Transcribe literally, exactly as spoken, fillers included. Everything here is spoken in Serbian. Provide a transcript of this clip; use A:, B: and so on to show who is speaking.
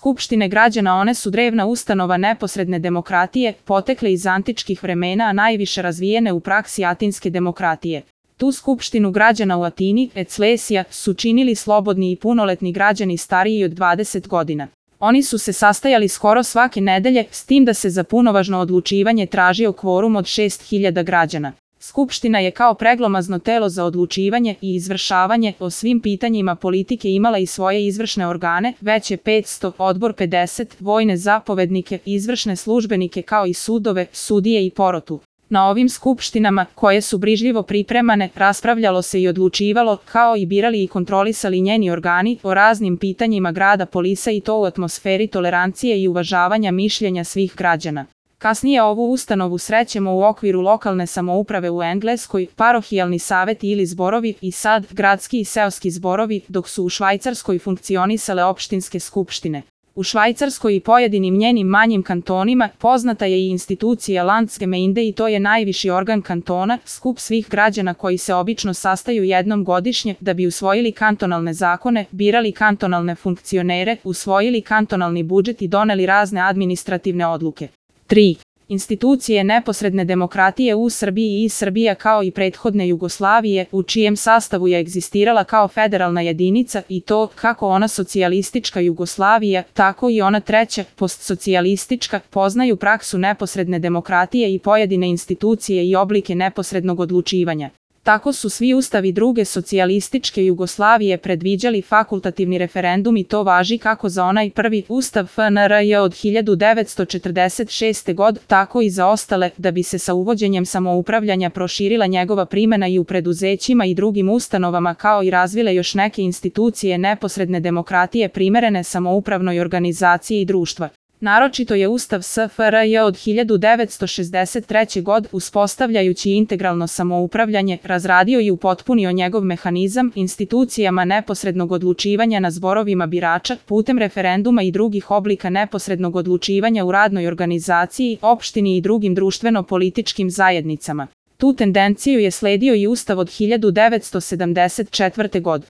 A: Skupštine građana one su drevna ustanova neposredne demokratije, potekle iz antičkih vremena, a najviše razvijene u praksi atinske demokratije. Tu skupštinu građana u Atini, Eclesija, su činili slobodni i punoletni građani stariji od dvadeset godina. Oni su se sastajali skoro svake nedelje, s tim da se za punovažno odlučivanje tražio kvorum od šest hiljada građana. Skupština je kao preglomazno telo za odlučivanje i izvršavanje o svim pitanjima politike imala i svoje izvršne organe, veće petsto, odbor pedeset, vojne zapovednike, izvršne službenike kao i sudove, sudije i porotu. Na ovim skupštinama, koje su brižljivo pripremane, raspravljalo se i odlučivalo, kao i birali i kontrolisali njeni organi, o raznim pitanjima grada Polisa i to u atmosferi tolerancije i uvažavanja mišljenja svih građana. Kasnije ovu ustanovu srećemo u okviru lokalne samouprave u Engleskoj, parohijalni saveti ili zborovi i sad gradski i seoski zborovi, dok su u Švajcarskoj funkcionisale opštinske skupštine. U Švajcarskoj i pojedinim njenim manjim kantonima poznata je i institucija Landsgemeinde i to je najviši organ kantona, skup svih građana koji se obično sastaju jednom godišnje da bi usvojili kantonalne zakone, birali kantonalne funkcionere, usvojili kantonalni budžet i doneli razne administrativne odluke. tri. Institucije neposredne demokratije u Srbiji i Srbija kao i prethodne Jugoslavije, u čijem sastavu je egzistirala kao federalna jedinica i to, kako ona socijalistička Jugoslavija, tako i ona treća, postsocijalistička, poznaju praksu neposredne demokratije i pojedine institucije i oblike neposrednog odlučivanja. Tako su svi ustavi druge socijalističke Jugoslavije predviđali fakultativni referendum i to važi kako za onaj prvi ustav F N R J od hiljadu devetsto četrdeset šeste. godine, tako i za ostale, da bi se sa uvođenjem samoupravljanja proširila njegova primena i u preduzećima i drugim ustanovama kao i razvile još neke institucije neposredne demokratije primerene samoupravnoj organizaciji i društva. Naročito je Ustav S F R J od hiljadu devetsto šezdeset treće. godine, uspostavljajući integralno samoupravljanje, razradio i upotpunio njegov mehanizam institucijama neposrednog odlučivanja na zborovima birača, putem referenduma i drugih oblika neposrednog odlučivanja u radnoj organizaciji, opštini i drugim društveno-političkim zajednicama. Tu tendenciju je sledio i Ustav od hiljadu devetsto sedamdeset četvrte. godine.